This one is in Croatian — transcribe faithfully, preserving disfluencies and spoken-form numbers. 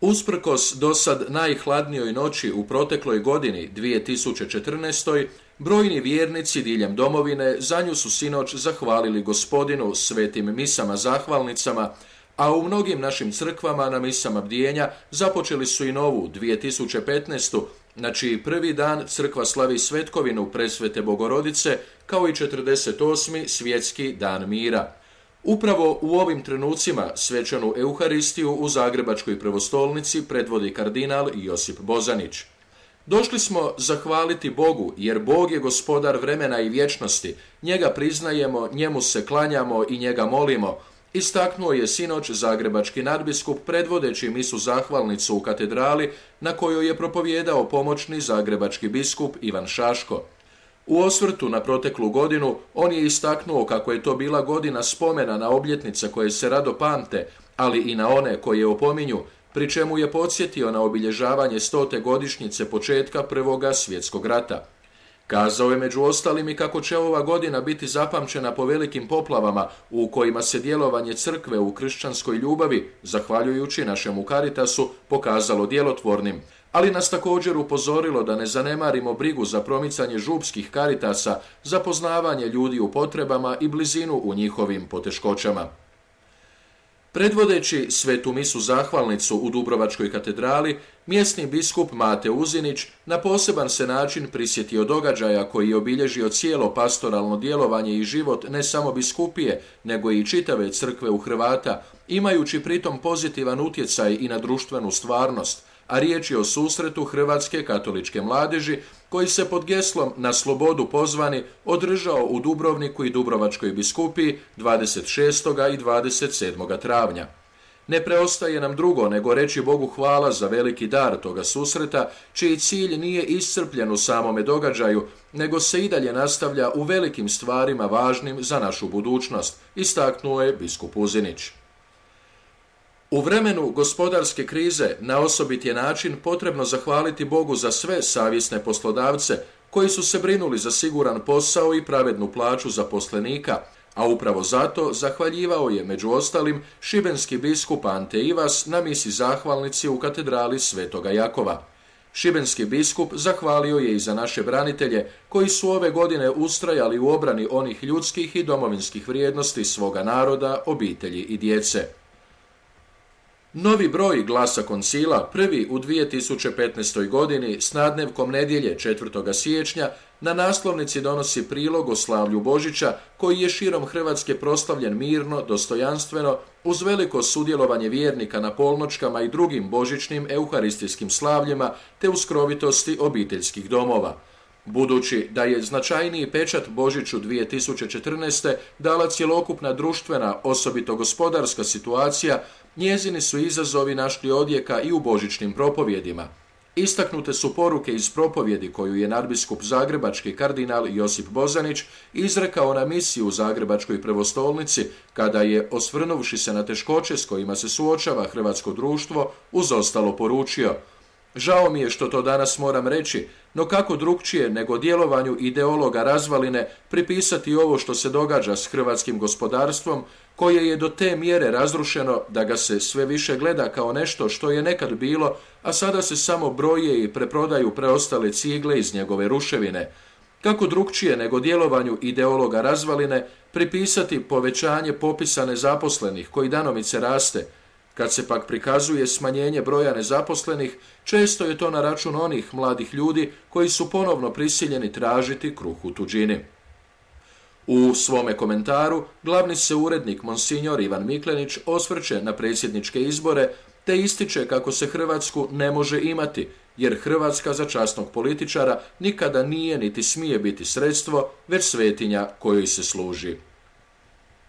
Usprkos dosad najhladnijoj noći u protekloj godini dvije tisuće četrnaestoj. brojni vjernici diljem domovine za nju su sinoć zahvalili Gospodinu svetim misama zahvalnicama, a u mnogim našim crkvama na misama bdijenja započeli su i novu dvije tisuće petnaestu. na čiji prvi dan crkva slavi svetkovinu Presvete Bogorodice kao i četrdeset osmi svjetski dan mira. Upravo u ovim trenucima svečanu Euharistiju u Zagrebačkoj prvostolnici predvodi kardinal Josip Bozanić. Došli smo zahvaliti Bogu, jer Bog je gospodar vremena i vječnosti, njega priznajemo, njemu se klanjamo i njega molimo, istaknuo je sinoć zagrebački nadbiskup predvodeći misu zahvalnicu u katedrali na kojoj je propovijedao pomoćni zagrebački biskup Ivan Šaško. U osvrtu na proteklu godinu on je istaknuo kako je to bila godina spomena na obljetnice koje se rado pamte, ali i na one koje opominju, pri čemu je podsjetio na obilježavanje stote godišnjice početka Prvoga svjetskog rata. Kazao je među ostalim i kako će ova godina biti zapamćena po velikim poplavama u kojima se djelovanje crkve u kršćanskoj ljubavi, zahvaljujući našemu Caritasu, pokazalo djelotvornim, ali nas također upozorilo da ne zanemarimo brigu za promicanje župskih Caritasa, za poznavanje ljudi u potrebama i blizinu u njihovim poteškoćama. Predvodeći svetu misu zahvalnicu u Dubrovačkoj katedrali, mjesni biskup Mate Uzinić na poseban se način prisjetio događaja koji je obilježio cijelo pastoralno djelovanje i život ne samo biskupije, nego i čitave crkve u Hrvata, imajući pritom pozitivan utjecaj i na društvenu stvarnost, a riječ je o susretu hrvatske katoličke mladeži koji se pod geslom Na slobodu pozvani održao u Dubrovniku i Dubrovačkoj biskupiji dvadeset šestog i dvadeset sedmog travnja. Ne preostaje nam drugo nego reći Bogu hvala za veliki dar toga susreta, čiji cilj nije iscrpljen u samome događaju, nego se i dalje nastavlja u velikim stvarima važnim za našu budućnost, istaknuo je biskup Uzinić. U vremenu gospodarske krize na osobit je način potrebno zahvaliti Bogu za sve savjesne poslodavce koji su se brinuli za siguran posao i pravednu plaću zaposlenika, a upravo zato zahvaljivao je među ostalim šibenski biskup Ante Ivas na misi zahvalnici u katedrali Svetoga Jakova. Šibenski biskup zahvalio je i za naše branitelje koji su ove godine ustrajali u obrani onih ljudskih i domovinskih vrijednosti svoga naroda, obitelji i djece. Novi broj Glasa koncila, prvi u dvije tisuće petnaestoj. godini s nadnevkom nedjelje četvrtog siječnja, na naslovnici donosi prilog o slavlju Božića koji je širom Hrvatske proslavljen mirno, dostojanstveno, uz veliko sudjelovanje vjernika na polnočkama i drugim božićnim euharistijskim slavljima te u skrovitosti obiteljskih domova. Budući da je značajniji pečat Božiću dvije tisuće četrnaeste. dala cjelokupna društvena, osobito gospodarska situacija, njezini su izazovi našli odjeka i u božićnim propovjedima. Istaknute su poruke iz propovjedi koju je nadbiskup zagrebački kardinal Josip Bozanić izrekao na misiji u Zagrebačkoj prvostolnici, kada je, osvrnuvši se na teškoće s kojima se suočava hrvatsko društvo, uz ostalo poručio: žao mi je što to danas moram reći, no kako drukčije nego djelovanju ideologa razvaline pripisati ovo što se događa s hrvatskim gospodarstvom, koje je do te mjere razrušeno da ga se sve više gleda kao nešto što je nekad bilo, a sada se samo broje i preprodaju preostale cigle iz njegove ruševine. Kako drukčije nego djelovanju ideologa razvaline pripisati povećanje popisa nezaposlenih koji danomice raste. Kad se pak prikazuje smanjenje broja nezaposlenih, često je to na račun onih mladih ljudi koji su ponovno prisiljeni tražiti kruh u tuđini. U svome komentaru glavni se urednik monsignor Ivan Miklenić osvrće na predsjedničke izbore te ističe kako se Hrvatsku ne može imati, jer Hrvatska za časnog političara nikada nije niti smije biti sredstvo, već svetinja kojoj se služi.